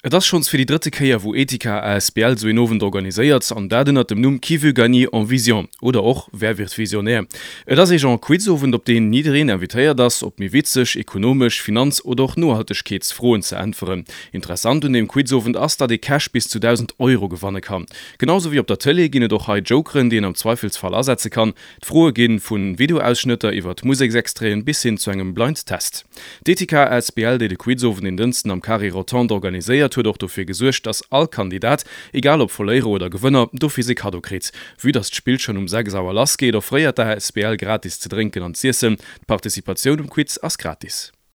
Et ass schonns fir déi drëtte Kéier wou Etika asbl sou een Owend organiséiert, an dat ënnert dem Numm Qui veut gagner en vision? oder och Wer wird visionnaire? Et ass ee Genre Quizowend op deen jiddereen invitéiert ass op méi witzeg, ekonomesch, Finanz oder och Nohaltegkeetsfroen ze äntweren. Interessant un deem Quizowend ass, datt ee Cash bis zu 1.000 Euro gewanne kann. Genau sou wéi op der Tëlee ginn et och hei Jokeren déi een am Zweifelsfall asetze kann. D'Froe gi vu Videoausschnëtter iwwert Museksextraiten bis hin zu engem Blind Test. D'Etika asbl, déi de Quizowend en Dënsten am Carré Rotonde organiséiert, huet och dofir gesuergt, dass all Kandidat, egal ob Verléierer oder Gewënner, d'office e Kaddo kritt. Vue dass d'Spill schonn um 6 Auer lass geet, offréiert d'ASBL gratis ze drénken an z'iessen. D'Participatioun um Quiz ass gratis.